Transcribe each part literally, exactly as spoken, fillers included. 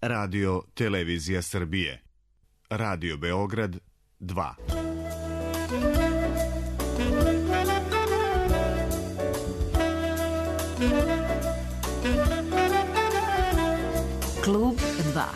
Radio Televizija Srbije. Radio Beograd dva. Klub dva.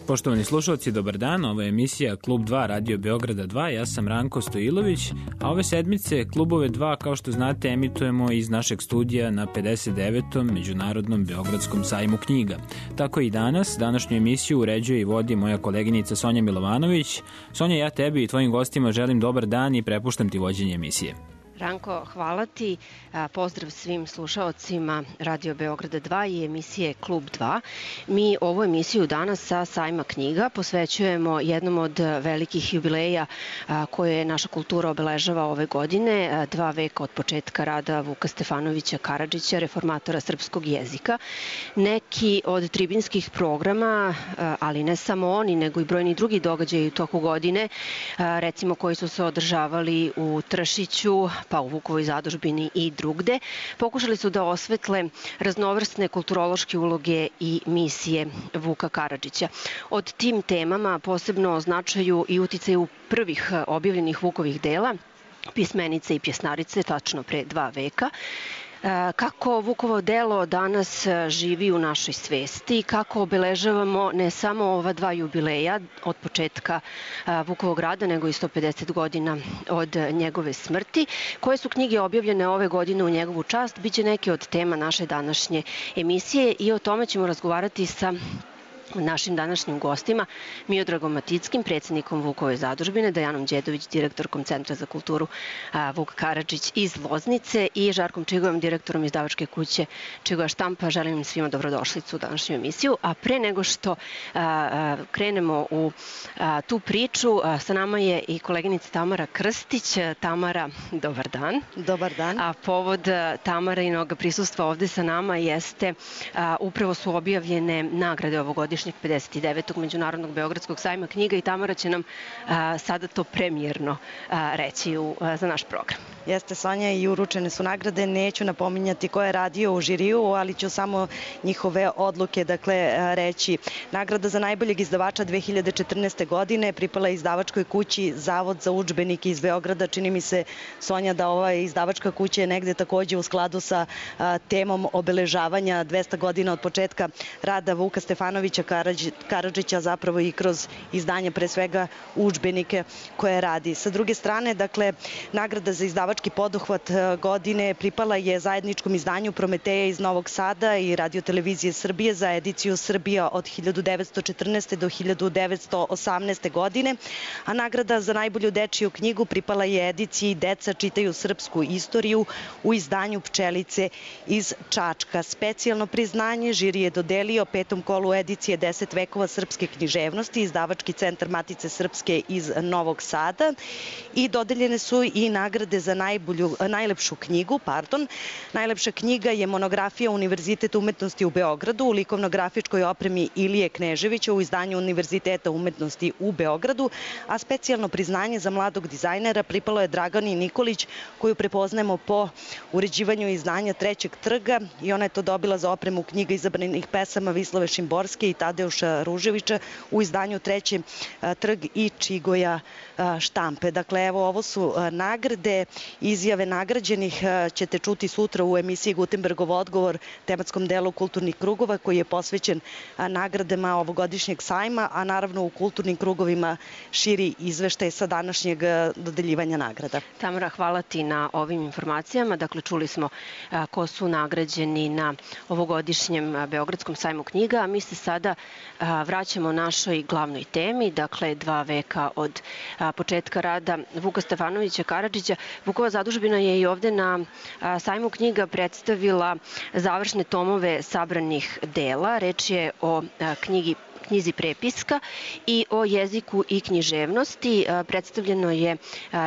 Poštovani slušalci, dobar dan, ovo je emisija Klub dva Radio Beograda dva, ja sam Ranko Stojilović, a ove sedmice Klubove dva, kao što znate, emitujemo iz našeg studija na pedeset devetom Međunarodnom Beogradskom sajmu knjiga. Tako i danas, današnju emisiju uređuje i vodi moja koleginica Sonja Milovanović. Sonja, ja tebi i tvojim gostima želim dobar dan i prepuštam ti vođenje emisije. Ranko, hvala ti. Pozdrav svim slušaocima Radio Beograda dva i emisije Klub dva. Mi ovu emisiju danas sa sajma knjiga posvećujemo jednom od velikih jubileja koje naša kultura obeležava ove godine, dva veka od početka rada Vuka Stefanovića Karadžića, reformatora srpskog jezika. Neki od tribinskih programa, ali ne samo oni, nego i brojni drugi događaji u toku godine, recimo koji su se održavali u Tršiću, pa u Vukovoj zadužbini i drugde, pokušali su da osvetle raznovrsne kulturološke uloge i misije Vuka Karadžića. Od tim temama posebno označaju i uticaju prvih objavljenih Vukovih dela, pismenice i pjesnarice, tačno pre dva veka. Kako Vukovo delo danas živi u našoj svesti, kako obeležavamo ne samo ova dva jubileja od početka Vukovog rada, nego i sto pedeset godina od njegove smrti. Koje su knjige objavljene ove godine u njegovu čast, biće neke od tema naše današnje emisije i o tome ćemo razgovarati sa našim današnjim gostima, Miodragom Matickim, predsjednikom Vukove zadužbine, Dajanom Đedović, direktorkom Centra za kulturu Vuk Karadžić iz Loznice i Žarkom Čigojem, direktorom izdavačke kuće Čigoja štampa. Želim im svima dobrodošlicu u današnju emisiju. A pre nego što krenemo u tu priču, sa nama je i koleginica Tamara Krstić. Tamara, dobar dan. Dobar dan. A povod Tamarinog prisustva ovde sa nama jeste, upravo su objavljene nagrade ovogodišnje pedeset devetog Međunarodnog Beogradskog sajma knjiga i Tamara će nam a, sada to premijerno a, reći u, a, za naš program. Jeste, Sonja, i uručene su nagrade. Neću napominjati ko je radio u žiriju, ali ću samo njihove odluke dakle reći. Nagrada za najboljeg izdavača dve hiljade četrnaeste. godine pripala izdavačkoj kući Zavod za udžbenike iz Beograda. Čini mi se, Sonja, da ova izdavačka kuća je negde takođe u skladu sa a, temom obeležavanja dvesta godina od početka rada Vuka Stefanovića Karadžića, zapravo i kroz izdanje pre svega udžbenike koje radi. Sa druge strane, dakle, nagrada za izdavački poduhvat godine pripala je zajedničkom izdanju Prometeja iz Novog Sada i Radio Televizije Srbije za ediciju Srbija od hiljadu devetsto četrnaeste. do hiljadu devetsto osamnaeste. godine, a nagrada za najbolju dečiju knjigu pripala je ediciji Deca čitaju srpsku istoriju u izdanju Pčelice iz Čačka. Specijalno priznanje žiri je dodelio petom kolu edicije deset vekova srpske književnosti, izdavački centar Matice Srpske iz Novog Sada, i dodeljene su i nagrade za najbolju, najlepšu knjigu. Pardon. Najlepša knjiga je monografija Univerziteta umetnosti u Beogradu u likovno-grafičkoj opremi Ilije Kneževića u izdanju Univerziteta umetnosti u Beogradu, a specijalno priznanje za mladog dizajnera pripalo je Dragani Nikolić, koju prepoznajemo po uređivanju izdanja Trećeg trga, i ona je to dobila za opremu knjiga izabranih pesama Vislave Šimborske i Tadeuša Ruževića u izdanju Treći trg i Čigoja štampe. Dakle, evo, ovo su nagrade. Izjave nagrađenih ćete čuti sutra u emisiji Gutenbergov odgovor, tematskom delu kulturnih krugova, koji je posvećen nagradama ovogodišnjeg sajma, a naravno u kulturnim krugovima širi izveštaj sa današnjeg dodeljivanja nagrada. Tamara, hvala ti na ovim informacijama. Dakle, čuli smo ko su nagrađeni na ovogodišnjem Beogradskom sajmu knjiga, a mi se sada vraćamo našoj glavnoj temi, dakle dva veka od početka rada Vuka Stefanovića Karadžića. Vukova zadužbina je i ovde na sajmu knjiga predstavila završne tomove sabranih dela. Reč je o knjigi knjizi Prepiska i o jeziku i književnosti. Predstavljeno je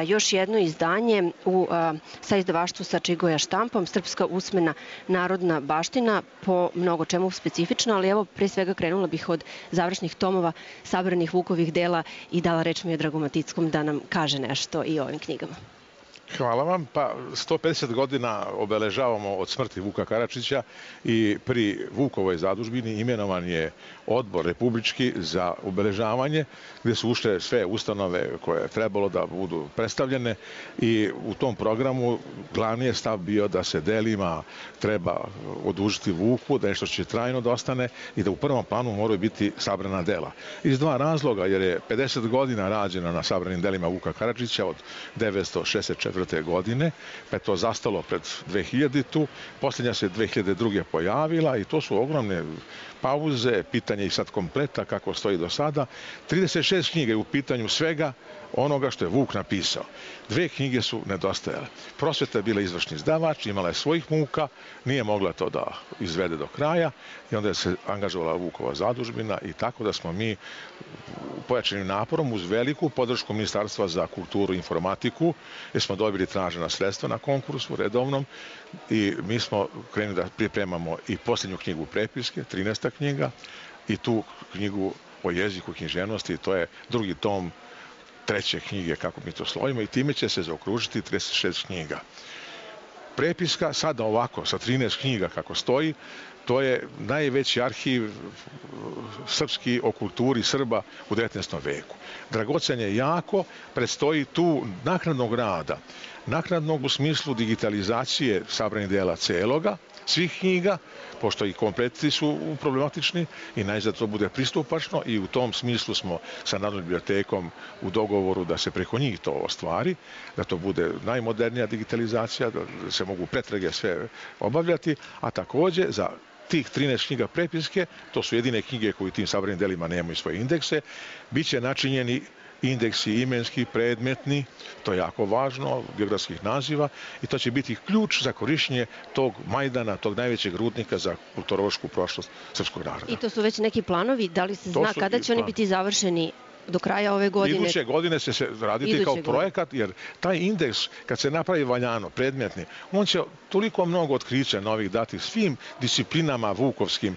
još jedno izdanje u sa izdavaštvu sa Čigoja štampom, Srpska usmena narodna baština, po mnogo čemu specifično, ali evo pre svega krenula bih od završnih tomova sabranih Vukovih dela i dala reč Miodragu Matickom da nam kaže nešto i o ovim knjigama. Hvala vam. Pa sto pedeset godina obeležavamo od smrti Vuka Karadžića i pri Vukovoj zadužbini imenovan je odbor republički za obeležavanje gdje su ušle sve ustanove koje je trebalo da budu predstavljene i u tom programu glavni je stav bio da se delima treba odužiti Vuku, da nešto će trajno da ostane i da u prvom planu moraju biti sabrana dela. Iz dva razloga, jer je pedeset godina rađeno na sabranim delima Vuka Karadžića od devetsto šezdeset četvrte godine, pa je to zastalo pred dve hiljaditu. Posljednja se dve hiljade druge pojavila i to su ogromne pauze, pitanje i sad kompleta kako stoji do sada. trideset šest knjiga je u pitanju svega onoga što je Vuk napisao. Dve knjige su nedostajale. Prosveta je bila izvršni izdavač, imala je svojih muka, nije mogla to da izvede do kraja i onda je se angažovala Vukova zadužbina i tako da smo mi pojačanim naporom uz veliku podršku Ministarstva za kulturu i informatiku, jer smo dobili tražena sredstva na konkursu redovnom i mi smo krenuli da pripremamo i posljednju knjigu Prepiske, trinaesta knjiga, i tu knjigu o jeziku i književnosti, to je drugi tom treće knjige, kako mi to slovimo, i time će se zaokružiti trideset šest knjiga. Prepiska, sada ovako, sa trinaest knjiga kako stoji, to je najveći arhiv srpski o kulturi Srba u devetnaestom veku. Dragocen je jako, predstoji tu naknadnog rada, naknadnog u smislu digitalizacije sabranih dela celoga, svih knjiga, pošto i kompleti su problematični i najzad to bude pristupačno i u tom smislu smo sa Narodnom bibliotekom u dogovoru da se preko njih to ostvari, da to bude najmodernija digitalizacija, da se mogu pretrage sve obavljati, a takođe za tih trinaest knjiga Prepiske, to su jedine knjige koje u tim sabranim delima nemaju svoje indekse, bit će načinjeni indeksi imenski, predmetni, to je jako važno, geografskih naziva, i to će biti ključ za korišćenje tog Majdana, tog najvećeg rudnika za kulturološku prošlost srpskog naroda. I to su već neki planovi, da li se zna kada će oni biti završeni? Do kraja ove godine? Iduće godine će se raditi Iduće kao projekat, jer taj indeks, kad se napravi valjano, predmetni, on će toliko mnogo otkrića novih dati svim disciplinama vukovskim,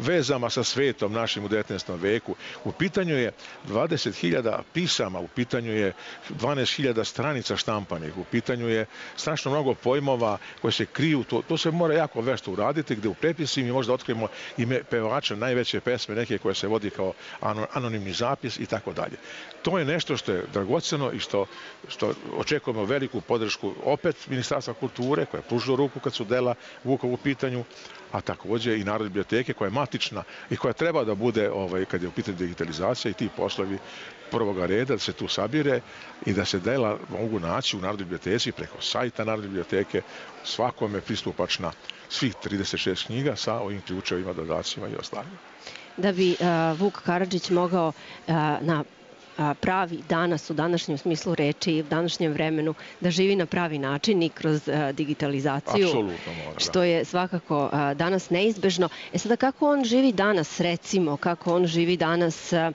vezama sa svetom našim u devetnaestom veku. U pitanju je dvadeset hiljada pisama, u pitanju je dvanaest hiljada stranica štampanih, u pitanju je strašno mnogo pojmova koje se kriju. To, to se mora jako vešto uraditi, gde u prepisima mi možda otkrijemo ime pevača najveće pesme, neke koje se vodi kao anonimni zapis i tako dalje. To je nešto što je dragoceno i što, što očekujemo veliku podršku opet Ministarstva kulture, koja je pružila ruku kad su dela Vukov u pitanju, a takođe i Narodne biblioteke koja je matična i koja treba da bude, ovaj, kad je u pitanju digitalizacija i ti poslovi prvoga reda, da se tu sabire i da se dela mogu naći u Narodnoj biblioteci preko sajta Narodne biblioteke, svakome pristupačna svih trideset šest knjiga sa ovim ključevima, dodacima i ostalima. Da bi uh, Vuk Karadžić mogao uh, na pravi danas u današnjem smislu reči i u današnjem vremenu da živi na pravi način i kroz uh, digitalizaciju, mora, što je svakako uh, danas neizbežno. E sada, kako on živi danas, recimo, kako on živi danas uh,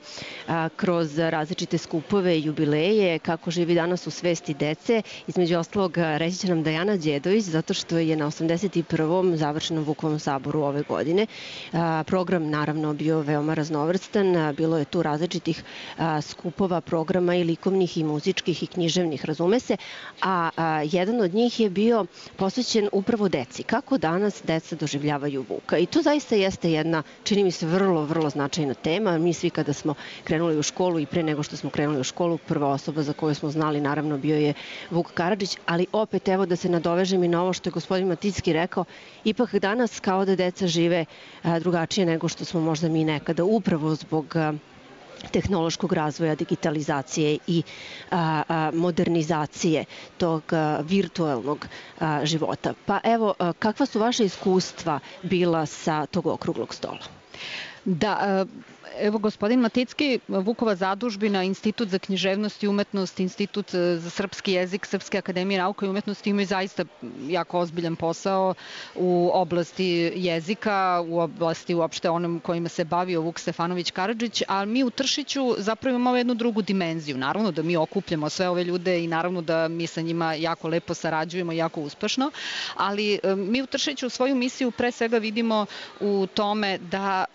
kroz različite skupove i jubileje, kako živi danas u svesti dece, između ostalog reći će nam Dajana Đedović, zato što je na osamdeset prvom završenom Vukovom saboru ove godine. Uh, program naravno bio veoma raznovrstan, uh, bilo je tu različitih uh, skupova skupova, programa i likovnih i muzičkih i književnih, razume se, a, a jedan od njih je bio posvećen upravo deci. Kako danas deca doživljavaju Vuka? I to zaista jeste jedna, čini mi se, vrlo, vrlo značajna tema. Mi svi kada smo krenuli u školu i pre nego što smo krenuli u školu, prva osoba za koju smo znali naravno bio je Vuk Karadžić, ali opet evo da se nadovežem i na ovo što je gospodin Maticki rekao, ipak danas kao da deca žive a, drugačije nego što smo možda mi nekada, upravo zbog a, tehnološkog razvoja, digitalizacije i a, a, modernizacije tog a, virtualnog a, života. Pa evo, a, kakva su vaše iskustva bila sa tog okruglog stola? Da, evo gospodin Maticki, Vukova zadužbina, Institut za književnost i umetnost, Institut za srpski jezik, Srpske akademije nauka i umetnosti imaju zaista jako ozbiljan posao u oblasti jezika, u oblasti uopšte onom kojima se bavio Vuk Stefanović Karadžić, ali mi u Tršiću zapravo imamo jednu drugu dimenziju. Naravno da mi okupljamo sve ove ljude i naravno da mi sa njima jako lepo sarađujemo, jako uspešno, ali mi u Tršiću svoju misiju pre svega vidimo u tome da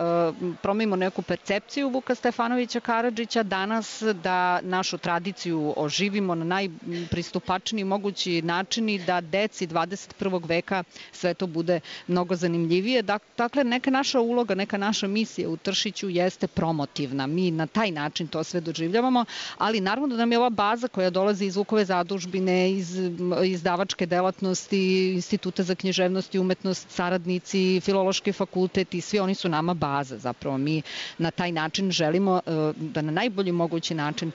promenimo neku percepciju Vuka Stefanovića Karadžića danas, da našu tradiciju oživimo na najpristupačniji mogući način i da deci dvadeset prvog veka sve to bude mnogo zanimljivije. Dakle, neka naša uloga, neka naša misija u Tršiću jeste promotivna. Mi na taj način to sve doživljavamo, ali naravno da nam je ova baza koja dolazi iz Vukove zadužbine, iz izdavačke delatnosti, Instituta za književnost i umetnost, saradnici, Filološki fakultet i svi oni su nama baza. Zapravo mi na taj način želimo da na najbolji mogući način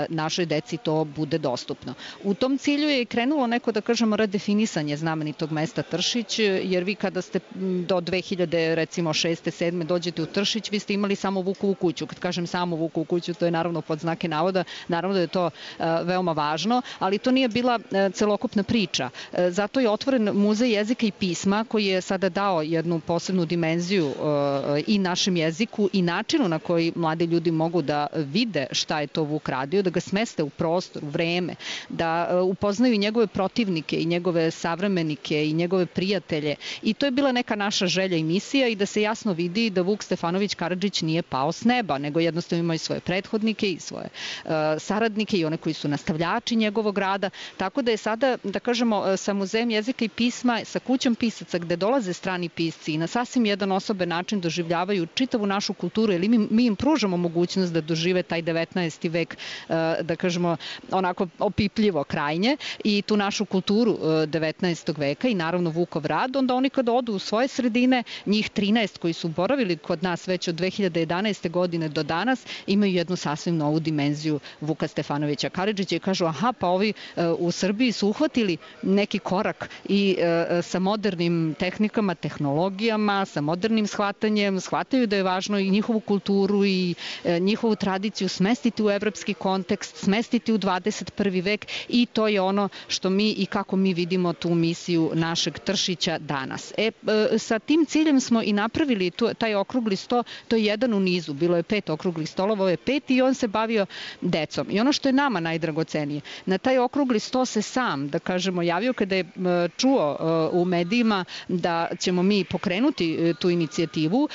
našoj deci to bude dostupno. U tom cilju je krenulo neko, da kažemo, redefinisanje znamenitog mesta Tršić, jer vi kada ste do dve hiljade, recimo šeste, sedme dođete u Tršić, vi ste imali samo Vukovu kuću. Kad kažem samo Vukovu kuću, to je naravno pod znake navoda, naravno da je to veoma važno, ali to nije bila celokupna priča. Zato je otvoren Muzej jezika i pisma koji je sada dao jednu posebnu dimenziju i našem jeziku i načinu na koji mladi ljudi mogu da vide šta je to Vuk radio, da ga smeste u prostor, u vreme, da upoznaju njegove protivnike i njegove savremenike i njegove prijatelje. I to je bila neka naša želja i misija i da se jasno vidi da Vuk Stefanović Karadžić nije pao s neba, nego jednostavno ima i svoje prethodnike i svoje uh, saradnike i one koji su nastavljači njegovog rada. Tako da je sada, da kažemo, sa Muzejem jezika i pisma, sa kućom pisaca gde dolaze strani pisci i na sasvim jedan osoben način doživljavaju čitavu našu kulturu, ili mi, mi im pružamo mogućnost da dožive taj devetnaesti vek, da kažemo, onako opipljivo krajnje i tu našu kulturu devetnaestog veka i naravno Vukov rad, onda oni kada odu u svoje sredine, njih trinaest koji su boravili kod nas već od dve hiljade jedanaeste godine do danas, imaju jednu sasvim novu dimenziju Vuka Stefanovića Karadžića i kažu, aha, pa ovi u Srbiji su uhvatili neki korak i sa modernim tehnikama, tehnologijama, sa modernim shvatanjem, shvataju da je važno i njihovu kulturu i njihovu tradiciju smestiti u evropski kontekst, smestiti u dvadeset prvi vek i to je ono što mi i kako mi vidimo tu misiju našeg Tršića danas. E, sa tim ciljem smo i napravili tu, taj okrugli sto, to je jedan u nizu, bilo je pet okruglih stolova, ovo je pet i on se bavio decom. I ono što je nama najdragocenije, na taj okrugli sto se sam, da kažemo, javio kada je čuo u medijima da ćemo mi pokrenuti tu inicijativu,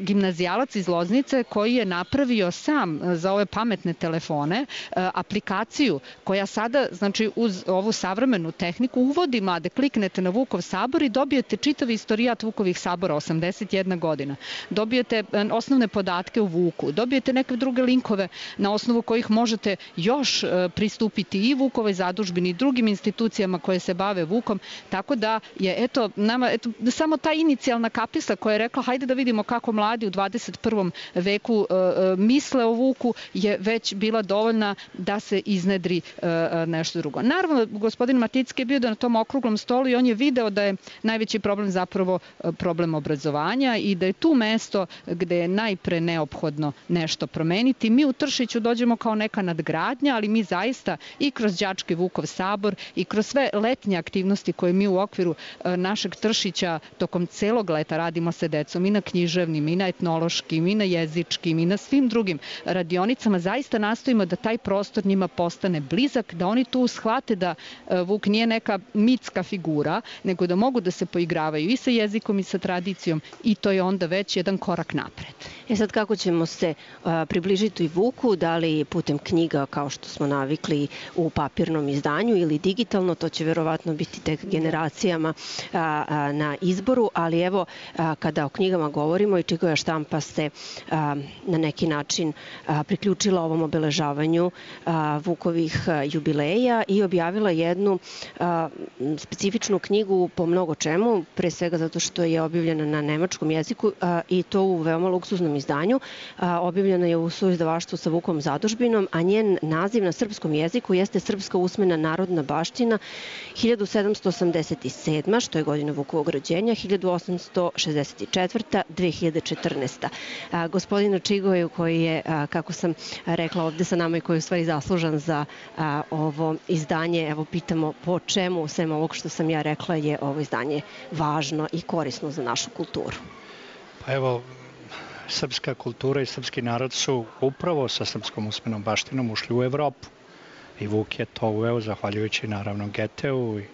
gimnazijalac iz Loznice koji je napravio sam za ove pametne telefone aplikaciju koja sada, znači uz ovu savremenu tehniku uvodi mlade, kliknete na Vukov sabor i dobijete čitav istorijat Vukovih sabora, osamdeset jedna godina. Dobijete osnovne podatke o Vuku, dobijete neke druge linkove na osnovu kojih možete još pristupiti i Vukovoj zadužbini i drugim institucijama koje se bave Vukom, tako da je eto, nama, eto, samo ta inicijalna kapisla koja je rekla hajde da vidimo kako mladi u dvadeset prvom veku e, misle o Vuku je već bila dovoljna da se iznedri e, nešto drugo. Naravno, gospodin Maticki je bio da na tom okruglom stolu i on je video da je najveći problem zapravo problem obrazovanja i da je tu mesto gde je najpre neophodno nešto promeniti. Mi u Tršiću dođemo kao neka nadgradnja, ali mi zaista i kroz đački Vukov sabor i kroz sve letnje aktivnosti koje mi u okviru našeg Tršića tokom celog leta radimo sa decom i na književnim, i na etnološkim, i na jezičkim, i na svim drugim radionicama, zaista nastojimo da taj prostor njima postane blizak, da oni tu shvate da Vuk nije neka mitska figura, nego da mogu da se poigravaju i sa jezikom i sa tradicijom i to je onda već jedan korak napred. E sad kako ćemo se a, približiti i Vuku, da li putem knjiga kao što smo navikli u papirnom izdanju ili digitalno, to će verovatno biti tek generacijama a, a, na izboru, ali evo a, kada o knjigama govorimo i Čikoja štampa se a, na neki način a, priključila ovom obeležavanju a, Vukovih a, jubileja i objavila jednu a, specifičnu knjigu po mnogo čemu, pre svega zato što je objavljena na nemačkom jeziku a, i to u veoma luksuznom izdanju. A, objavljena je u suizdavaštvu sa Vukom zadužbinom, a njen naziv na srpskom jeziku jeste Srpska usmena narodna baština hiljadu sedamsto osamdeset sedma. što je godina Vukovog rođenja, hiljadu osamsto šezdeset četvrta. do dve hiljade četrnaeste. četrnaesta. Gospodinu Čigoju koji je, kako sam rekla, ovde sa nama i koji je u stvari zaslužan za ovo izdanje, evo pitamo po čemu, sem ovog što sam ja rekla, je ovo izdanje važno i korisno za našu kulturu. Pa evo, srpska kultura i srpski narod su upravo sa srpskom usmenom baštinom ušli u Evropu. I Vuk je to uveo, zahvaljujući naravno Geteu i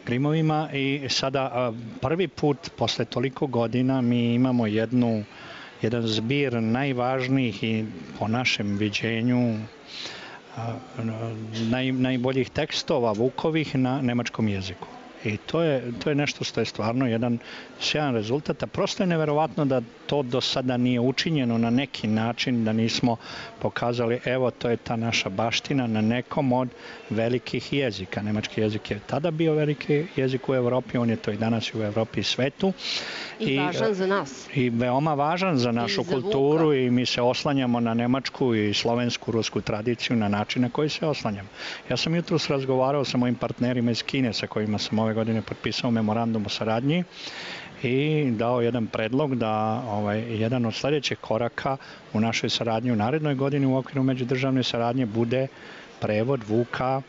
Grimovima. I sada prvi put, posle toliko godina, mi imamo jednu, jedan zbir najvažnijih i po našem viđenju naj, najboljih tekstova Vukovih na nemačkom jeziku. I to je, to je nešto što je stvarno jedan sjajan rezultat, a prosto je neverovatno da to do sada nije učinjeno na neki način, da nismo pokazali, evo, to je ta naša baština na nekom od velikih jezika. Nemački jezik je tada bio veliki jezik u Evropi, on je to i danas u Evropi i svetu. I, I važan za nas. I veoma važan za našu za kulturu Vuka. I mi se oslanjamo na nemačku i slovensku, rusku tradiciju na način na koji se oslanjamo. Ja sam jutros razgovarao sa mojim partnerima iz Kine sa kojima sam ove godine potpisao memorandum o saradnji i dao jedan predlog da ovaj, jedan od sljedećih koraka u našoj saradnji u narednoj godini u okviru međudržavne saradnje bude prevod Vuka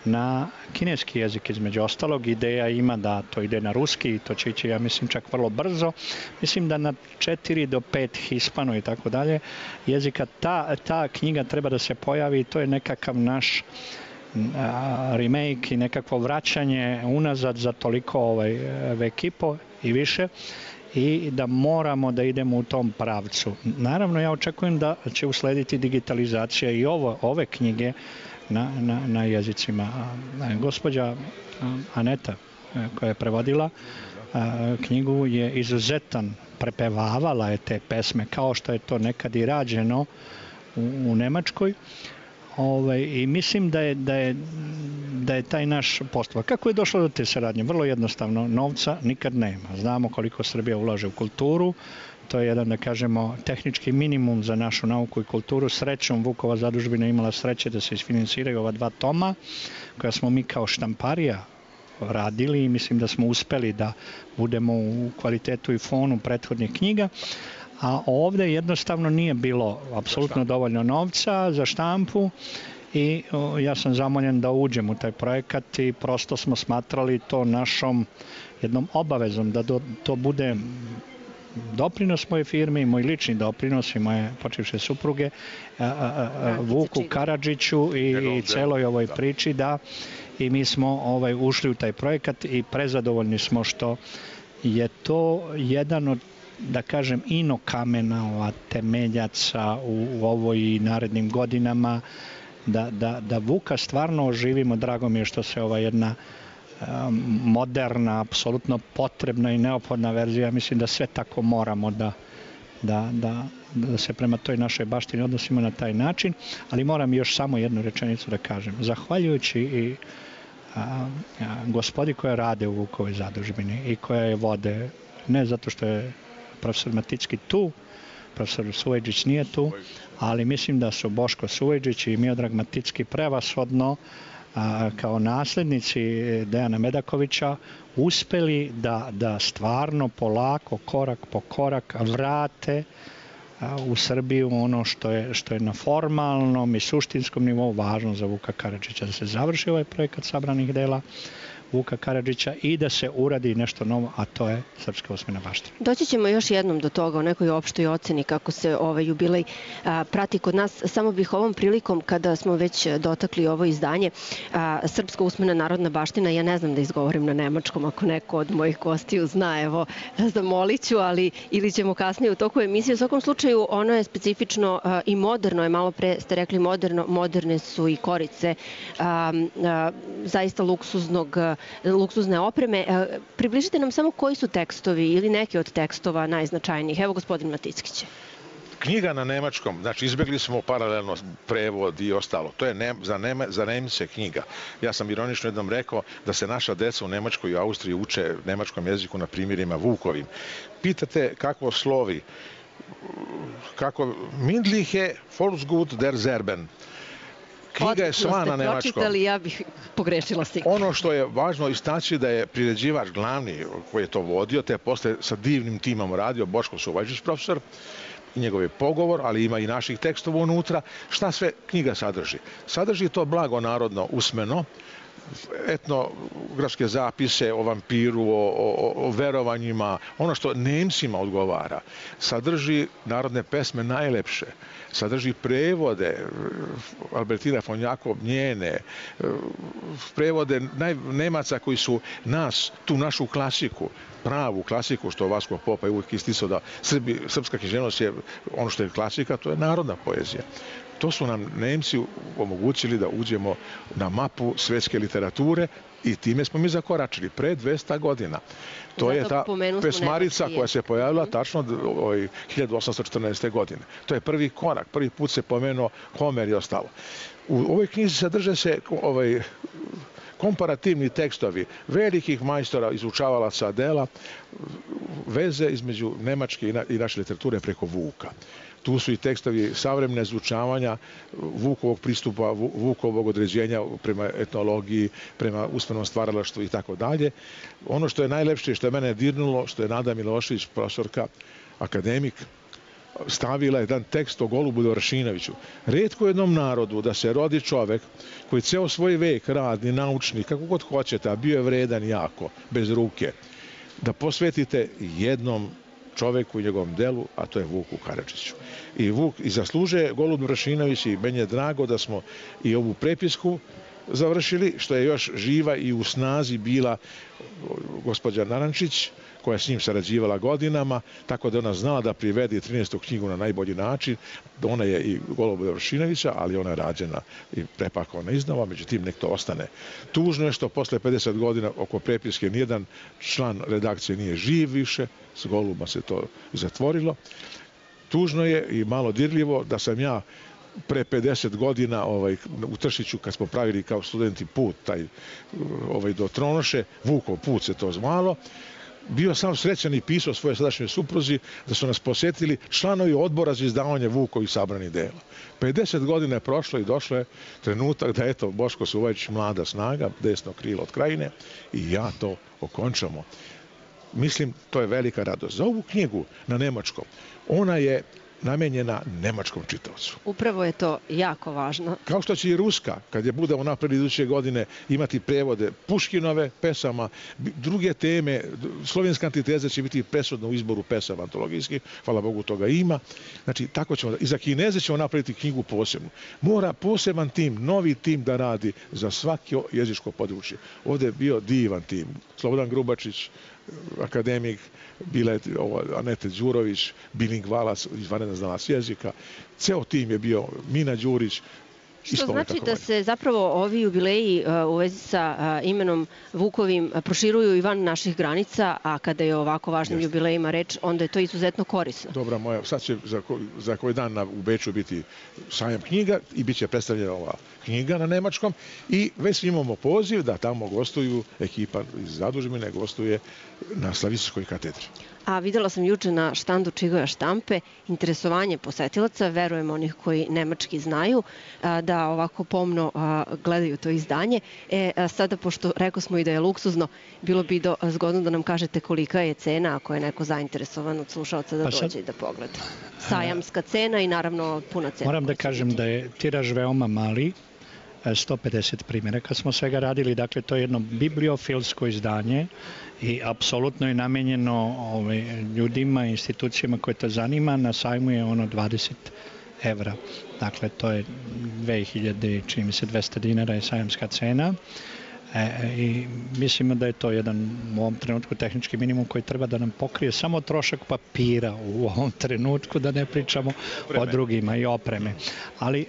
na kineski jezik. Između ostalog, ideja ima da to ide na ruski i to će ići, ja mislim, čak vrlo brzo. Mislim da na četiri do pet hispano i tako dalje jezika. Ta, ta knjiga treba da se pojavi i to je nekakav naš remake i nekakvo vraćanje unazad za toliko ovaj, vek i po i više i da moramo da idemo u tom pravcu. Naravno, ja očekujem da će uslediti digitalizacija i ovo, ove knjige na, na, na jezicima. Gospođa Aneta koja je prevodila knjigu je izuzetan, prepevavala je te pesme kao što je to nekad i rađeno u, u Nemačkoj. Ove, I mislim da je, da, je, da je taj naš postupak. Kako je došlo do te saradnje? Vrlo jednostavno, novca nikad nema. Znamo koliko Srbija ulaže u kulturu, to je jedan, da kažemo, tehnički minimum za našu nauku i kulturu. Srećom, Vukova zadužbina imala sreće da se isfinansiraju ova dva toma, koja smo mi kao štamparija radili i mislim da smo uspeli da budemo u kvalitetu i fonu prethodnih knjiga. A ovde jednostavno nije bilo apsolutno dovoljno novca za štampu i o, ja sam zamoljen da uđem u taj projekat i prosto smo smatrali to našom jednom obavezom da do, to bude doprinos moje firme i moj lični doprinos i moje počivše supruge a, a, a, Vuku Karadžiću i, i celoj ovoj priči da i mi smo ovaj, ušli u taj projekat i prezadovoljni smo što je to jedan od, da kažem, ino kamena, temeljaca u, u ovoj i narednim godinama, da, da, da Vuka stvarno oživimo. Drago mi je što se ova jedna um, moderna, apsolutno potrebna i neophodna verzija, mislim da sve tako moramo da, da, da, da se prema toj našoj baštini odnosimo na taj način, ali moram još samo jednu rečenicu da kažem. Zahvaljujući i a, a, gospodi koja rade u Vukovoj zadužbini i koja je vode, ne zato što je profesor Maticki tu, profesor Suvejđić nije tu, ali mislim da su Boško Suvejđić i Miodrag Maticki prevashodno a, kao naslednici Dejana Medakovića uspeli da, da stvarno polako, korak po korak vrate a, u Srbiju ono što je, što je na formalnom i suštinskom nivou važno za Vuka Karadžića, da se završi ovaj projekat sabranih dela Vuka Karadžića i da se uradi nešto novo, a to je srpska usmena baština. Doći ćemo još jednom do toga, o nekoj opštoj oceni kako se ovaj jubilej a, prati kod nas. Samo bih ovom prilikom, kada smo već dotakli ovo izdanje, a, srpska usmena narodna baština, ja ne znam da izgovorim na nemačkom, ako neko od mojih gostiju zna, evo, zamolit ću, ali ili ćemo kasnije u toku emisije. U svakom slučaju, ono je specifično a, i moderno, je malo pre ste rekli moderno, moderne su i korice, a, a, zaista luksuznog luksuzne opreme. Približite nam samo koji su tekstovi ili neki od tekstova najznačajnijih. Evo, gospodin Matickić. Knjiga na nemačkom, znači izbjegli smo paralelno prevod i ostalo. To je ne, za, Nema, za Nemce knjiga. Ja sam ironično jednom rekao da se naša deca u Nemačkoj i Austriji uče nemačkom jeziku na primjerima Vukovim. Pitate kako slovi, kako Mindliche Volksgut der Serben. Knjiga je sva na nemačkom. Pročitali, ja bih pogrešila sigurno. Ono što je važno istaći da je priređivač glavni koji je to vodio, te posle sa divnim timom radio, Boško Suvajčić profesor, i njegov je pogovor, ali ima i naših tekstova unutra. Šta sve knjiga sadrži? Sadrži to blago narodno usmeno, etnografske zapise o vampiru, o, o, o verovanjima, ono što Nemcima odgovara. Sadrži narodne pesme najlepše, sadrži prevode Albertina von Jakob njene, prevode naj, Nemaca koji su nas, tu našu klasiku, pravu klasiku, što Vasko Popa je uvijek isticao da Srbi, srpska književnost je ono što je klasika, to je narodna poezija. To su nam Nemci omogućili da uđemo na mapu svetske literature i time smo mi zakoračili pre dvesta godina. To je ta pesmarica koja se pojavila tačno hiljadu osamsto četrnaeste. godine. To je prvi korak, prvi put se pomenuo Homer i ostalo. U ovoj knjizi sadrže se ovaj, komparativni tekstovi velikih majstora, izučavalaca dela, veze između nemačke i naše literature preko Vuka. Tu su i tekstovi savremene izučavanja Vukovog pristupa, Vukovog određenja prema etnologiji, prema usmenom stvaralaštvu i tako dalje. Ono što je najlepše, što je mene dirnulo, što je Nada Milošević, profesorka, akademik, stavila jedan tekst o Golubu Dovršinoviću. Retko jednom narodu da se rodi čovek koji ceo svoj vek radni, naučni, kako god hoćete, a bio je vredan jako, bez ruke, da posvetite jednom čoveku i njegovom delu, a to je Vuku Karadžiću. I Vuk i zaslužuje Golub Dovršinović i meni je drago da smo i ovu prepisku završili, što je još živa i u snazi bila gospođa Narančić, koja je s njim sarađivala godinama, tako da ona znala da privede trinaestu knjigu na najbolji način. Ona je i Goluba Dovršinovića, ali ona je rađena i prepakovana iznova, međutim nek to ostane. Tužno je što posle pedeset godina oko prepiske nijedan član redakcije nije živ više, s Goluba se to zatvorilo. Tužno je i malo dirljivo da sam ja pre pedeset godina ovaj, u Tršiću, kad smo pravili kao studenti put taj, ovaj, do Tronoše, Vukov put se to zvalo, bio sam srećan i pisao svoje sadašnje supruzi da su nas posjetili članovi odbora za izdavanje Vukovih sabranih dela. pedeset godina je prošlo i došlo je trenutak da eto Boško Suvajčić, mlada snaga, desno krilo od Krajine i ja to okončamo. Mislim, to je velika radost. Za ovu knjigu na nemačkom, ona je namenjena nemačkom čitaocu. Upravo je to jako važno. Kao što će i ruska, kad je budemo napred iduće godine, imati prevode Puškinove pesama, druge teme, slovenska antiteza će biti presudna u izboru pesama antologijskih, hvala Bogu toga ima. Znači, tako ćemo, i za Kineze ćemo napraviti knjigu posebnu. Mora poseban tim, novi tim da radi za svako jezičko područje. Ovdje je bio divan tim. Slobodan Grubačić, akademik, bila Anete Đurović, bilingvalac, izvanredan znalac jezika. Ceo tim je bio Mina Đurić. Što znači da se zapravo ovi jubileji u vezi sa imenom Vukovim proširuju i van naših granica, a kada je o ovako važnim Jeste. jubilejima reč, onda je to izuzetno korisno. Dobra moja, sad će za, ko, za koji dan na, u Beču biti sajam knjiga i bit će predstavljena ova knjiga na nemačkom i već imamo poziv da tamo gostuju ekipa iz zadužbine, gostuje na Slavičarskoj katedri. A videla sam juče na štandu Čigoja štampe interesovanje posetilaca, verujem onih koji nemački znaju, da ovako pomno gledaju to izdanje. E, sada, pošto rekao smo i da je luksuzno, bilo bi do, zgodno da nam kažete kolika je cena ako je neko zainteresovan od slušalca da pa sad, dođe i da pogleda. Sajamska cena i naravno puna cena. Moram da kažem da je tiraž veoma mali, sto pedeset primjeraka smo svega radili, dakle to je jedno bibliofilsko izdanje i apsolutno je namenjeno ovaj, ljudima i institucijama koje to zanima. Na sajmu je ono dvadeset evra, dakle to je dve hiljade, čini mi se dvesta dinara je sajamska cena. E, i mislimo da je to jedan u ovom trenutku tehnički minimum koji treba da nam pokrije samo trošak papira u ovom trenutku, da ne pričamo opreme. O drugima i opreme. Ali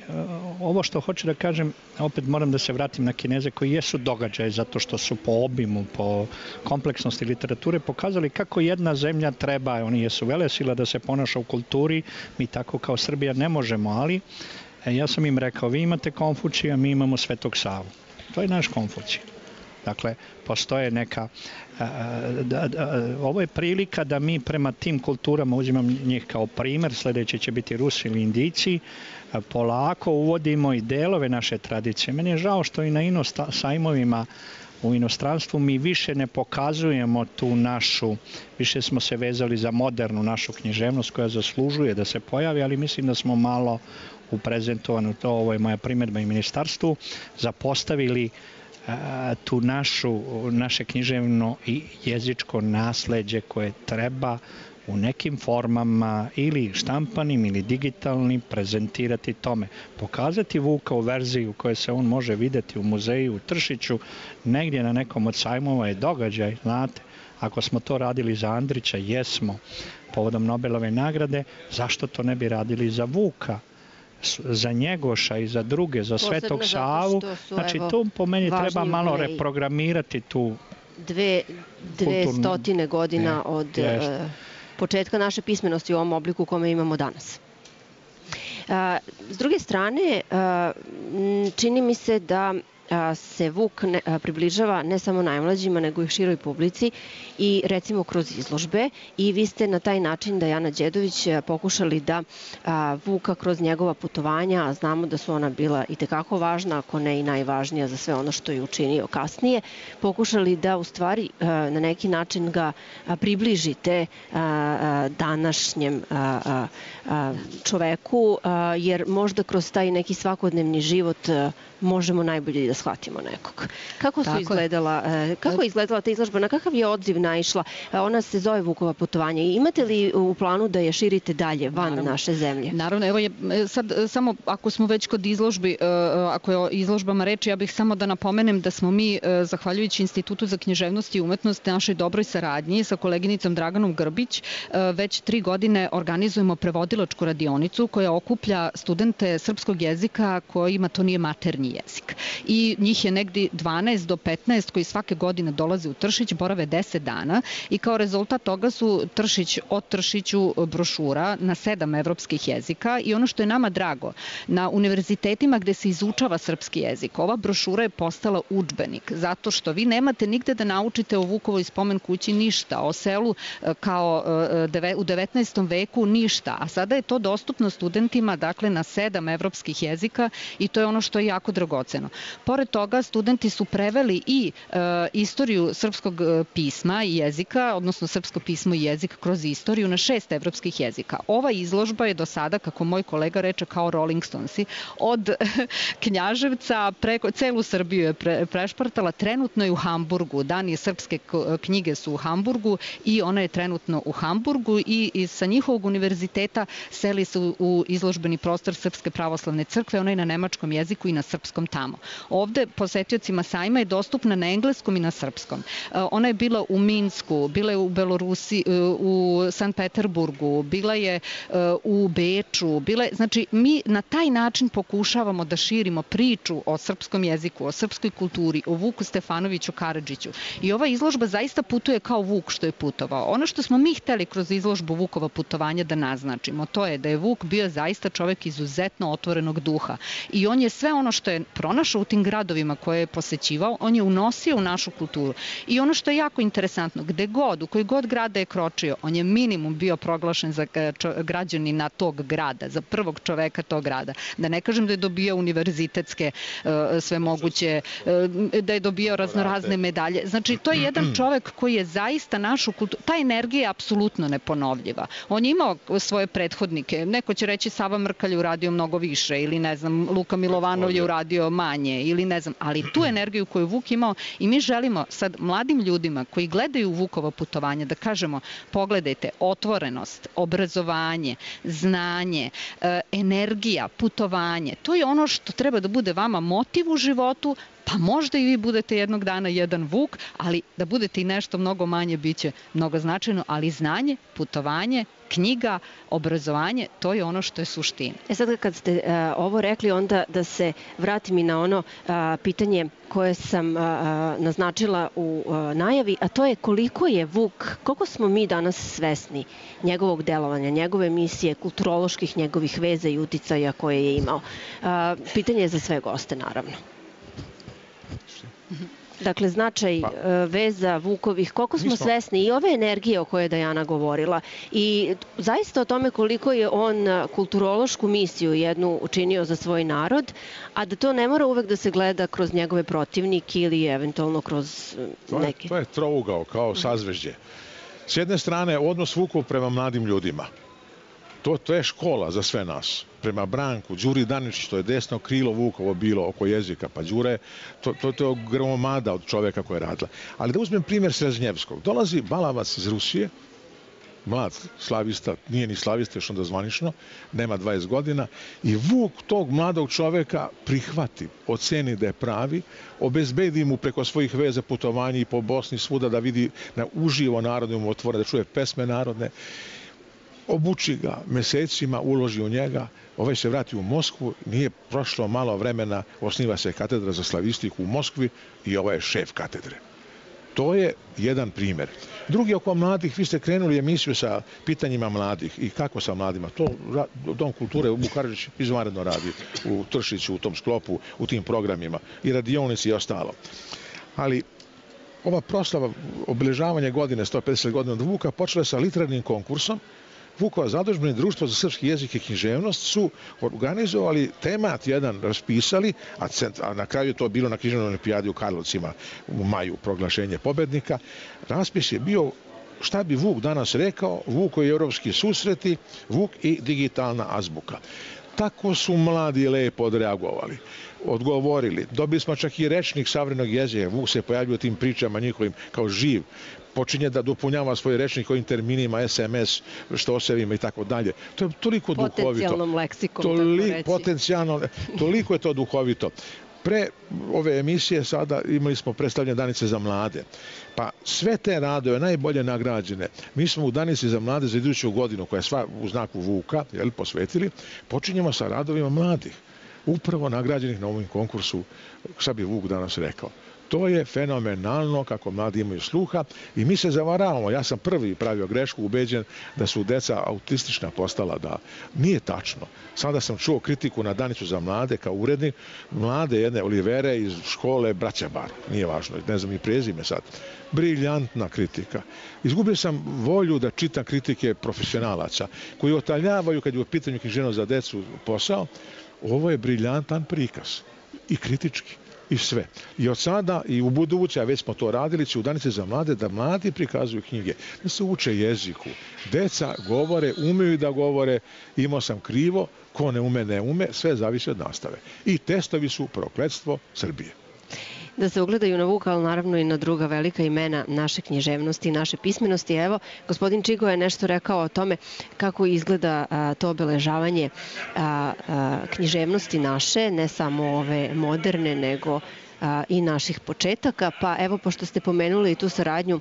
ovo što hoću da kažem, opet moram da se vratim na Kineze koji jesu događaje zato što su po obimu, po kompleksnosti literature pokazali kako jedna zemlja treba, oni jesu velesila da se ponaša u kulturi, mi tako kao Srbija ne možemo, ali ja sam im rekao, vi imate Konfučija, mi imamo Svetog Savu. To je naš Konfučij. Dakle, postoje neka... Da, da, ovo je prilika da mi prema tim kulturama, uzimam njih kao primer, sljedeći će biti Rusi ili Indijci, polako uvodimo i delove naše tradicije. Meni je žao što i na ino sajmovima u inostranstvu mi više ne pokazujemo tu našu, više smo se vezali za modernu našu književnost koja zaslužuje da se pojavi, ali mislim da smo malo u prezentovanju, to ovo je moja primjedba i ministarstvu, zapostavili a, tu našu, naše književno i jezičko nasleđe koje treba u nekim formama ili štampanim ili digitalnim prezentirati tome. Pokazati Vuka u verziji u kojoj se on može vidjeti u muzeju u Tršiću, negdje na nekom od sajmova je događaj, znate. Ako smo to radili za Andrića, jesmo, povodom Nobelove nagrade, zašto to ne bi radili za Vuka? Za Njegoša i za druge, za Svetog Savu. Znači, tu po meni treba malo reprogramirati tu dve, dve stotine godina je, od je. početka naše pismenosti u ovom obliku u kome imamo danas. S druge strane, čini mi se da se Vuk ne, približava ne samo najmlađima, nego i široj publici i recimo kroz izložbe i vi ste na taj način, Dajana Đedović, pokušali da a, Vuka kroz njegova putovanja, a znamo da su ona bila i tekako važna, ako ne i najvažnija za sve ono što je učinio kasnije, pokušali da u stvari a, na neki način ga a, približite a, a, današnjem a, a, a, čoveku, a, jer možda kroz taj neki svakodnevni život a, možemo najbolje da shvatimo nekog. Kako su izgledala, kako je izgledala ta izložba, na kakav je odziv naišla? Ona se zove Vukova putovanja. Imate li u planu da je širite dalje van Naravno. naše zemlje? Naravno, evo je sad samo ako smo već kod izložbi, ako je o izložbama reči, ja bih samo da napomenem da smo mi, zahvaljujući Institutu za književnost i umetnost, našoj dobroj saradnji sa koleginicom Draganom Grbić, već tri godine organizujemo prevodilačku radionicu koja okuplja studente srpskog jezika kojima to nije maternji jezik. I njih je negdje dvanaest do petnaest koji svake godine dolaze u Tršić, borave deset dana i kao rezultat toga su Tršić o Tršiću brošura na sedam evropskih jezika i ono što je nama drago, na univerzitetima gde se izučava srpski jezik, ova brošura je postala udžbenik, zato što vi nemate nigde da naučite o Vukovoj spomen kući ništa, o selu kao u devetnaestom veku ništa, a sada je to dostupno studentima, dakle, na sedam evropskih jezika i to je ono što je jako dragoceno. Pored toga, studenti su preveli i e, istoriju srpskog pisma i jezika, odnosno srpsko pismo i jezik kroz istoriju na šest evropskih jezika. Ova izložba je do sada, kako moj kolega reče, kao Rolling Stonesi, od Knjaževca preko celu Srbiju je pre, prešpartala, trenutno je u Hamburgu. Dani srpske knjige su u Hamburgu i ona je trenutno u Hamburgu i, i sa njihovog univerziteta seli se u, u izložbeni prostor Srpske pravoslavne crkve, ona je na nemačkom jeziku i na srpskom tamo. Ovde posetiocima sajma je dostupna na engleskom i na srpskom. Ona je bila u Minsku, bila je u Belorusi, u Sankt Peterburgu, bila je u Beču, bila je, znači mi na taj način pokušavamo da širimo priču o srpskom jeziku, o srpskoj kulturi, o Vuku Stefanoviću Karadžiću. I ova izložba zaista putuje kao Vuk što je putovao. Ono što smo mi hteli kroz izložbu Vukova putovanja da naznačimo, to je da je Vuk bio zaista čovek izuzetno otvorenog duha. I on je sve ono što je pronašao u tim gradovima koje je posećivao, on je unosio u našu kulturu. I ono što je jako interesantno, gde god, u koji god grada je kročio, on je minimum bio proglašen za građanina tog grada, za prvog čoveka tog grada. Da ne kažem da je dobio univerzitetske sve moguće, da je dobio raznorazne medalje. Znači, to je jedan čovek koji je zaista našu kulturu, ta energija je apsolutno neponovljiva. On je imao svoje prethodnike, neko će reći Sava Mrkalj je uradio mnogo više ili ne znam, Luka Milovanov je uradio manje ili ne znam, ali tu energiju koju Vuk imao i mi želimo sad mladim ljudima koji gledaju Vukova putovanja da kažemo, pogledajte, otvorenost, obrazovanje, znanje, energija, putovanje, to je ono što treba da bude vama motiv u životu, pa možda i vi budete jednog dana jedan Vuk, ali da budete i nešto mnogo manje, bit će mnogo značajno, ali znanje, putovanje, knjiga, obrazovanje, to je ono što je suština. E sad kad ste uh, ovo rekli, onda da se vratim i na ono uh, pitanje koje sam uh, naznačila u uh, najavi, a to je koliko je Vuk, koliko smo mi danas svesni njegovog delovanja, njegove misije, kulturoloških njegovih veza i uticaja koje je imao. Uh, pitanje je za sve goste, naravno. Dakle, značaj pa. veza Vukovih, koliko smo, smo svesni i ove energije o kojoj je Dajana govorila i zaista o tome koliko je on kulturološku misiju jednu učinio za svoj narod, a da to ne mora uvek da se gleda kroz njegove protivnike ili eventualno kroz neke. To je, to je trougao kao sazvežđe. S jedne strane, odnos Vukov prema mladim ljudima. To, to je škola za sve nas. Prema Branku, Đuri Daničić, to je desno krilo Vukovo bilo oko jezika, pa Đure, to, to, to je gromada od čoveka koja je radila. Ali da uzmem primjer Srežnjevskog. Dolazi balavac iz Rusije, mlad slavista, nije ni slavista, još onda zvanično, nema dvadeset godina, i Vuk tog mladog čoveka prihvati, oceni da je pravi, obezbedi mu preko svojih veza putovanja i po Bosni svuda da vidi, da uživo narodu mu otvore, da čuje pesme narodne, obuči ga mesecima, uloži u njega, ovaj se vrati u Moskvu, nije prošlo malo vremena, osniva se katedra za slavistiku u Moskvi i ovaj je šef katedre. To je jedan primjer. Drugi oko mladih, vi ste krenuli emisiju sa pitanjima mladih i kako sa mladima. To Dom kulture u Karadžić izvanredno radi u Tršiću, u tom sklopu, u tim programima i radionici i ostalo. Ali ova proslava obeležavanja godine sto pedeset godina od Vuka počela sa literarnim konkursom. Vukova zadužbina i Društvo za srpski jezik i književnost su organizovali temat jedan, raspisali, a, cent, a na kraju je to bilo na književnoj olimpijadi u Karlovcima u maju, proglašenje pobednika. Raspis je bio šta bi Vuk danas rekao, Vukovi evropski susreti, Vuk i digitalna azbuka. Tako su mladi lepo odreagovali, odgovorili. Dobili smo čak i rečnik savremenog jezika. Vuk se pojavljuje u tim pričama njihovim kao živ. Počinje da dopunjava svoj rečnik ovim terminima, es em es, štosevima i tako dalje. To je toliko duhovito. Potencijalnom leksikom, Toli, tako reći. Potencijalno, toliko je to duhovito. Pre ove emisije sada imali smo predstavljene Danice za mlade. Pa sve te radove, najbolje nagrađene, mi smo u Danici za mlade za iduću godinu, koja je sva u znaku Vuka, jel, posvetili, počinjemo sa radovima mladih, upravo nagrađenih na ovom konkursu, šta bi Vuk danas rekao. To je fenomenalno kako mladi imaju sluha i mi se zavaravamo. Ja sam prvi pravio grešku, ubeđen da su deca autistična postala, da nije tačno. Sada sam čuo kritiku na Danicu za mlade kao urednik, mlade jedne Olivere iz škole Braća Bar, nije važno, ne znam i prezime sad. Briljantna kritika. Izgubio sam volju da čitam kritike profesionalaca koji otaljavaju kad je u pitanju književnost za decu posao. Ovo je briljantan prikaz i kritički. I sve. I od sada i u buduće, a već smo to radili, će u Danici za mlade da mladi prikazuju knjige, da se uče jeziku. Deca govore, umeju da govore, imao sam krivo, ko ne ume, ne ume, sve zavisi od nastave. I testovi su prokletstvo Srbije. Da se ugledaju na Vuka, ali naravno i na druga velika imena naše književnosti i naše pismenosti. Evo, gospodin Čigo je nešto rekao o tome kako izgleda a, to obeležavanje a, a, književnosti naše, ne samo ove moderne, nego a, i naših početaka. Pa evo, pošto ste pomenuli i tu saradnju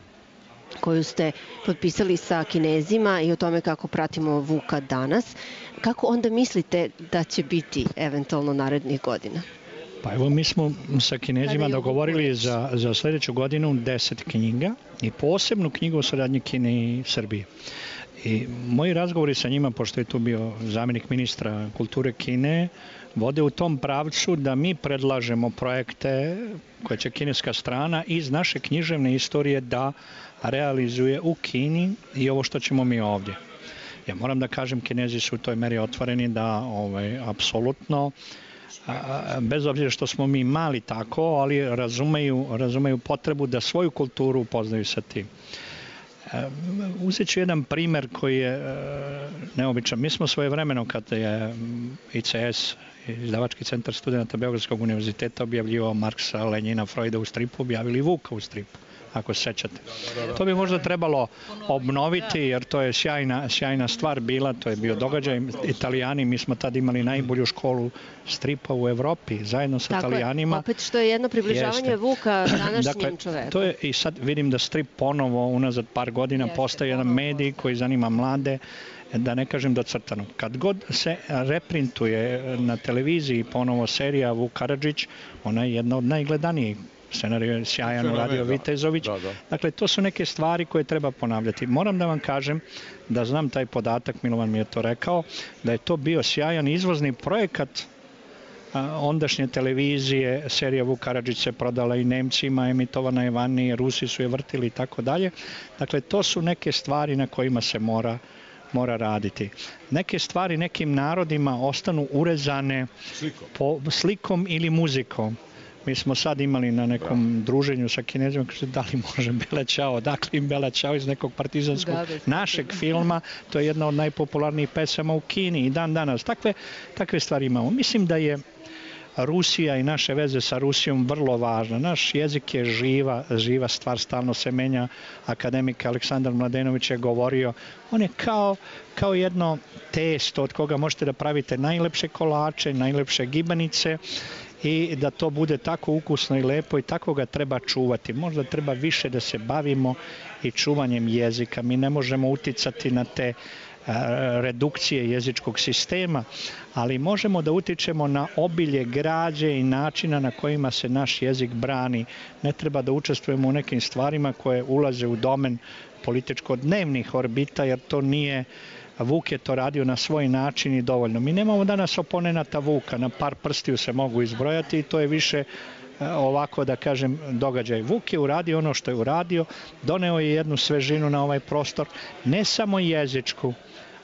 koju ste potpisali sa Kinezima i o tome kako pratimo Vuka danas, kako onda mislite da će biti eventualno narednih godina? Pa evo, mi smo sa Kinezima dogovorili za, za sljedeću godinu deset knjiga i posebnu knjigu o saradnji Kine i Srbije. I moji razgovori sa njima, pošto je tu bio zamjenik ministra kulture Kine, vode u tom pravcu da mi predlažemo projekte koje će kineska strana iz naše književne istorije da realizuje u Kini i ovo što ćemo mi ovdje. Ja moram da kažem, Kinezi su u toj meri otvoreni da ovaj, apsolutno, bez obzira što smo mi mali tako, ali razumeju, razumeju potrebu da svoju kulturu upoznaju sa tim. Uzet ću jedan primjer koji je neobičan. Mi smo svojevremeno, kad je i ce es, Izdavački centar studenta Beogradskog univerziteta, objavljivao Marksa, Lenjina, Freuda u stripu, objavili Vuka u stripu, ako se sećate. To bi možda trebalo obnoviti, jer to je sjajna, sjajna stvar bila, to je bio događaj. Italijani, mi smo tad imali najbolju školu stripa u Evropi, zajedno sa Tako Italijanima. Je, opet što je jedno približavanje Jeste. Vuka današnjem dakle, čoveku. To je, i sad vidim da strip ponovo, unazad par godina, Jeste, postaje jedan medij koji zanima mlade, da ne kažem docrtano. Kad god se reprintuje na televiziji ponovo serija Vuk Karadžić, ona je jedna od najgledanijih. Scenarij je sjajan, uradio Vitezović. Da, da. Dakle, to su neke stvari koje treba ponavljati. Moram da vam kažem da znam taj podatak, Milovan mi je to rekao, da je to bio sjajan izvozni projekat ondašnje televizije, serija Vuk Karadžić se prodala i Nemcima, emitovana je vani, Rusi su je vrtili i tako dalje. Dakle, to su neke stvari na kojima se mora, mora raditi. Neke stvari nekim narodima ostanu urezane slikom, po, slikom ili muzikom. Mi smo sad imali na nekom druženju sa Kinezima, kaže da li može Bela Ćao, dakle im Bela Ćao iz nekog partizanskog da, da, našeg filma, to je jedna od najpopularnijih pesama u Kini i dan danas. Takve, takve stvari imamo. Mislim da je Rusija i naše veze sa Rusijom vrlo važna. Naš jezik je živa, živa stvar, stalno se menja. Akademik Aleksandar Mladenović je govorio, on je kao, kao jedno testo od koga možete da pravite najlepše kolače, najlepše gibanice, i da to bude tako ukusno i lepo i tako ga treba čuvati. Možda treba više da se bavimo i čuvanjem jezika. Mi ne možemo uticati na te redukcije jezičkog sistema, ali možemo da utičemo na obilje građe i načina na kojima se naš jezik brani. Ne treba da učestvujemo u nekim stvarima koje ulaze u domen političko-dnevnih orbita, jer to nije, Vuk je to radio na svoj način i dovoljno. Mi nemamo danas oponenata Vuka, na par prstiju se mogu izbrojati i to je više ovako da kažem događaj. Vuk je uradio ono što je uradio, doneo je jednu svežinu na ovaj prostor, ne samo jezičku,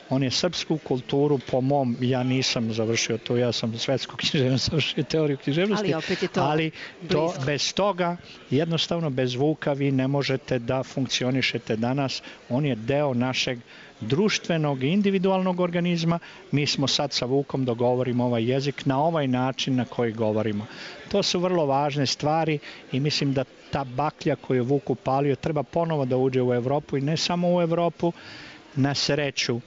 on je srpsku kulturu, po mom, ja nisam završio to, ja sam svetsku književnost, završio teoriju književnosti, ali, opet je to, ali to bez toga, jednostavno bez Vuka vi ne možete da funkcionišete danas. On je deo našeg društvenog i individualnog organizma. Mi smo sad sa Vukom dogovorimo ovaj jezik na ovaj način na koji govorimo. To su vrlo važne stvari i mislim da ta baklja koju je Vuk upalio treba ponovo da uđe u Evropu i ne samo u Evropu. Na sreću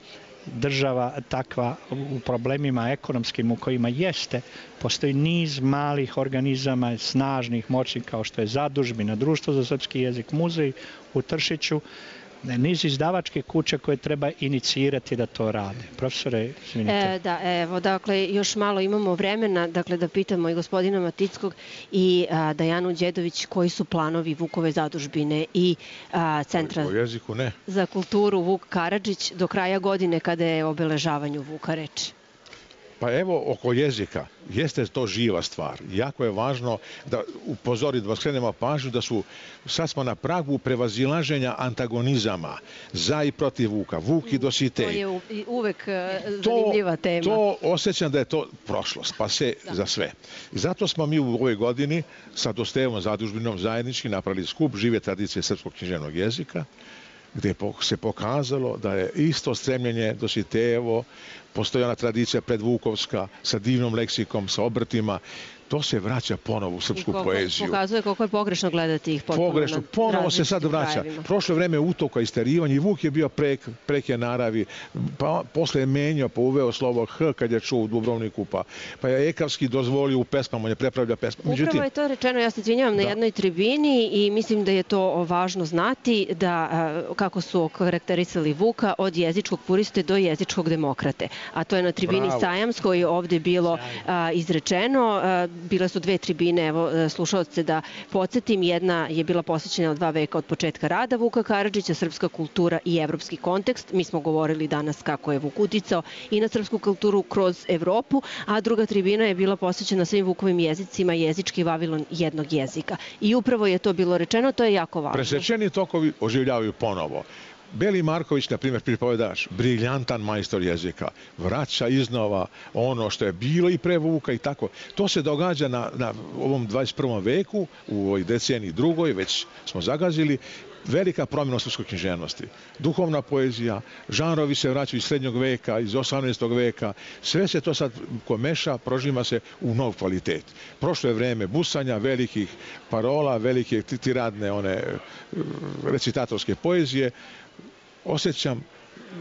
država takva u problemima ekonomskim u kojima jeste, postoji niz malih organizama, snažnih, moćnih kao što je Zadužbina, Društvo za srpski jezik, muzej u Tršiću, niz izdavačke kuće koje treba inicirati da to rade. Profesore, izvinite. E, da, evo, dakle, još malo imamo vremena, dakle, da pitamo i gospodina Matickog i a, Dajanu Đedović koji su planovi Vukove zadužbine i a, Centra jeziku, ne. za kulturu Vuk Karadžić do kraja godine kada je obeležavanju Vuka reč. Pa evo, oko jezika, jeste to živa stvar. Jako je važno da upozori, da skrenemo pažnju da su, sad smo na pragu prevazilaženja antagonizama za i protiv Vuka, Vuk i Dositej. To je uvek zanimljiva tema. To osjećam da je to prošlost, pa se da. Za sve. I zato smo mi u ovoj godini sa Dostejevom zadužbinom zajednički napravili skup žive tradicije srpskog književnog jezika, gdje se pokazalo da je isto stremljenje Dositejevo, postoji ona tradicija predvukovska sa divnom leksikom, sa obrtima, to se vraća ponovo u srpsku koliko, poeziju. Pokazuje koliko je pogrešno gledati ih potpuno pogrešno, ponovo se sad vraća. Krajevima. Prošlo vreme utoka, isterivanja i Vuk je bio prek, preke naravi, pa posle je menjao, pa uveo slovo H kad je čuo u Dubrovniku, pa, pa je Ekavski dozvolio u pesmama, on je prepravlja pesma. Međutim, upravo je to rečeno, ja se izvinjavam, na da. jednoj tribini i mislim da je to važno znati, da kako su okarakterisali Vuka od jezičkog puriste do jezičkog demokrate. A to je na tribini Bravo. Sajamskoj je ovde bilo a, izrečeno. A, Bile su dve tribine, evo, slušalce da podsjetim. Jedna je bila posvećena dva veka od početka rada Vuka Karadžića, srpska kultura i evropski kontekst. Mi smo govorili danas kako je Vuk uticao i na srpsku kulturu kroz Evropu, a druga tribina je bila posvećena svim Vukovim jezicima, jezički Vavilon jednog jezika. I upravo je to bilo rečeno, to je jako važno. Presečeni tokovi oživljavaju ponovo. Beli Marković, na primjer, pripovedač, briljantan majstor jezika, vraća iznova ono što je bilo i pre Vuka i tako. To se događa na, na ovom dvadeset prvom veku, u ovoj deceniji drugoj, već smo zagazili, velika promjena u srpskoj književnosti. Duhovna poezija, žanrovi se vraćaju iz srednjog veka, iz osamnaestog veka, sve se to sad ko meša, prožima se u nov kvalitet. Prošlo je vreme busanja, velikih parola, velike tiradne one recitatorske poezije. Osjećam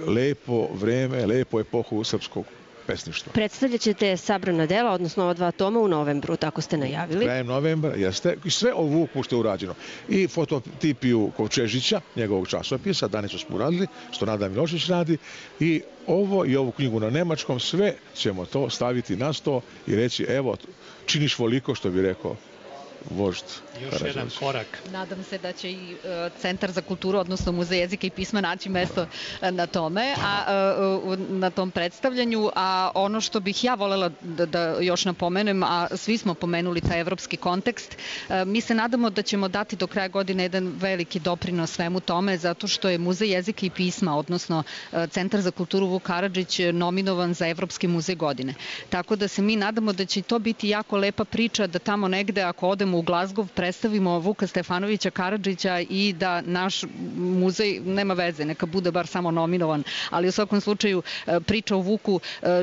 lepo vreme, lepo epohu srpskog pesništva. Predstavljat ćete sabrana dela, odnosno ova dva toma u novembru, tako ste najavili. Krajem novembra, jeste. I sve o Vuku što je urađeno. I fototipiju Kovčežića, njegovog časopisa, Danicu smo uradili, što Nada Milošić radi. I ovo i ovu knjigu na nemačkom, sve ćemo to staviti na sto i reći, evo, činiš voliko, što bi rekao vožd Još Karađorđević. jedan korak. Nadam se da će i e, Centar za kulturu, odnosno Muzej jezika i pisma naći mesto e, na tome, a e, na tom predstavljanju, a ono što bih ja volela da, da još napomenem, a svi smo pomenuli taj evropski kontekst, e, mi se nadamo da ćemo dati do kraja godine jedan veliki doprinos svemu tome, zato što je Muzej jezika i pisma, odnosno e, Centar za kulturu Vuk Karadžić nominovan za Evropski muzej godine. Tako da se mi nadamo da će to biti jako lepa priča, da tamo negde ako odemo u Glazgov predstavimo Vuka Stefanovića Karadžića i da naš muzej, nema veze, neka bude bar samo nominovan, ali u svakom slučaju priča o Vuku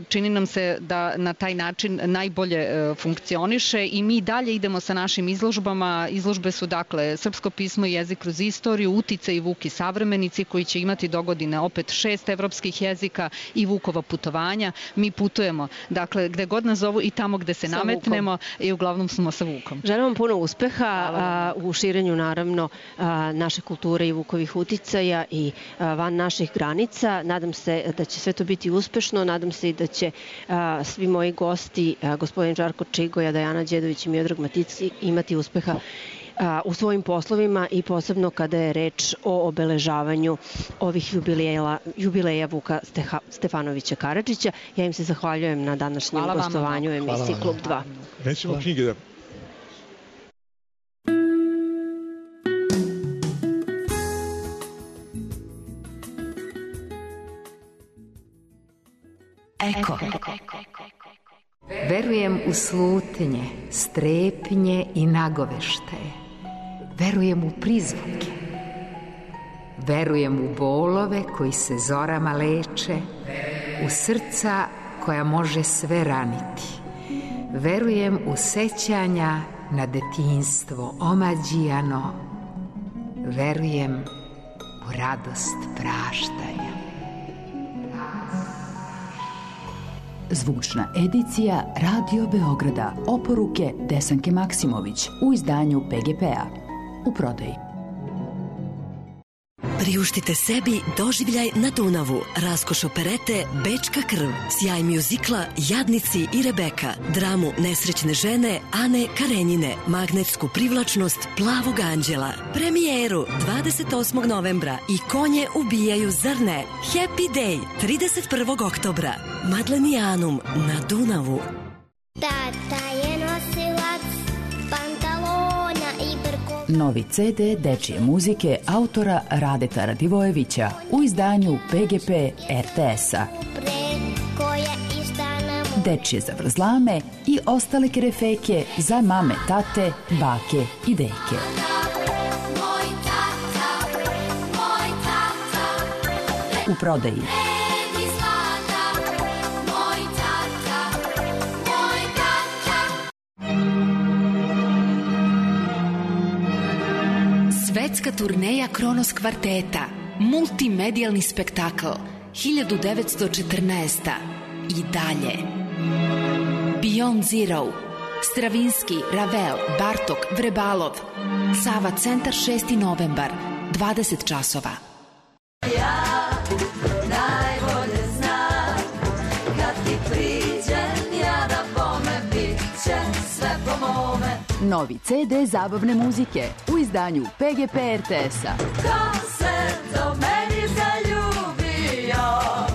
čini nam se da na taj način najbolje funkcioniše i mi dalje idemo sa našim izložbama. Izložbe su dakle Srpsko pismo i jezik kroz istoriju, Uticaj Vuk i savremenici koji će imati dogodine opet šest evropskih jezika i Vukova putovanja. Mi putujemo, dakle gde god nas zovu i tamo gde se sa nametnemo Vukom. I uglavnom smo sa Vukom. Želim vam puno uspeha a, u širenju naravno a, naše kulture i Vukovih uticaja i a, van naših granica. Nadam se da će sve to biti uspešno, nadam se i da će a, svi moji gosti, a, gospodin Žarko Čigoja, Dajana Đedović i Miodrag Maticki imati uspeha u svojim poslovima i posebno kada je reč o obeležavanju ovih jubileja, jubileja Vuka Steha, Stefanovića Karadžića. Ja im se zahvaljujem na današnjem Hvala gostovanju u emisiji Klub dva. Nećemo knjige da... Eko. Verujem u slutnje, strepnje i nagoveštaje. Verujem u prizvuke. Verujem u bolove koji se zorama leče, u srca koja može sve raniti. Verujem u sećanja na detinjstvo omađijano. Verujem u radost praštanja. Zvučna edicija Radio Beograda. Oporuke Desanke Maksimović u izdanju P G P-a. U prodaji. Priuštite sebi doživljaj na Dunavu, raskoš operete Bečka krv, sjaj mjuzikla Jadnici i Rebeka, dramu Nesrećne žene Ane Karenjine, magnetsku privlačnost Plavog anđela, premijeru dvadeset osmog novembra i Konje ubijaju, zar ne? Happy Day trideset prvog oktobra, Madlenijanum na Dunavu. Tata je nosilac pantalona i brko. Novi ce de dečije muzike autora Radeta Radivojevića u izdanju P G P R T S-a. Dečije zavrzlame i ostale kerefeke za mame, tate, bake i deke. U prodaji. Svetska turneja Kronos kvarteta, multimedijalni spektakl, hiljadu devetsto četrnaesta. I dalje. Beyond Zero, Stravinski, Ravel, Bartok, Vrebalov, Sava centar šesti novembar, dvadeset časova. Ja najbolje znam, kad ti priđem, ja da bome, bit će sve po mome. Novi ce de zabavne muzike u izdanju P G P R T S-a. Ko se do meni zaljubio?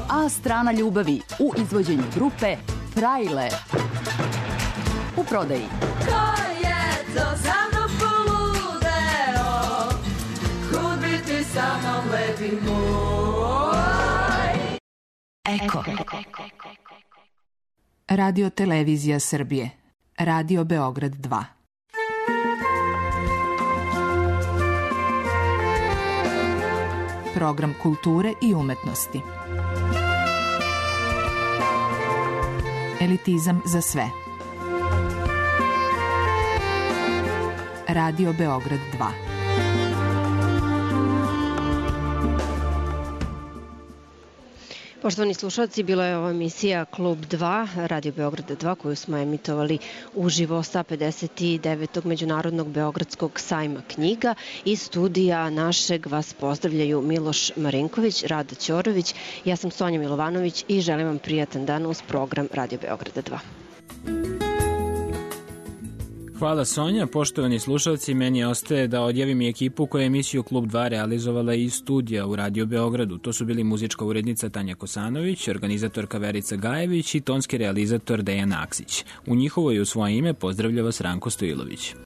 A strana ljubavi u izvođenju grupe Frajle. U prodaji. Ko je to za mnom poludeo? Kud bi ti sa mnom lepi moj? Eko. Radio Televizija Srbije. Radio Beograd dva. Program kulture i umetnosti. Elitizam za sve. Radio Beograd dva. Poštovani slušalci, bila je ova emisija Klub dva, Radio Beograda dva, koju smo emitovali uživo sa pedeset devetog Međunarodnog Beogradskog sajma knjiga. Iz studija našeg vas pozdravljaju Miloš Marinković, Rada Ćorović, ja sam Sonja Milovanović i želim vam prijatan dan uz program Radio Beograda dva. Hvala Sonja, poštovani slušalci, meni ostaje da odjavim i ekipu koja je emisiju Klub dva realizovala iz studija u Radio Beogradu. To su bili muzička urednica Tanja Kosanović, organizatorka Verica Gajević i tonski realizator Dejan Aksić. U njihovo i u svoje ime pozdravlja vas Ranko Stojilović.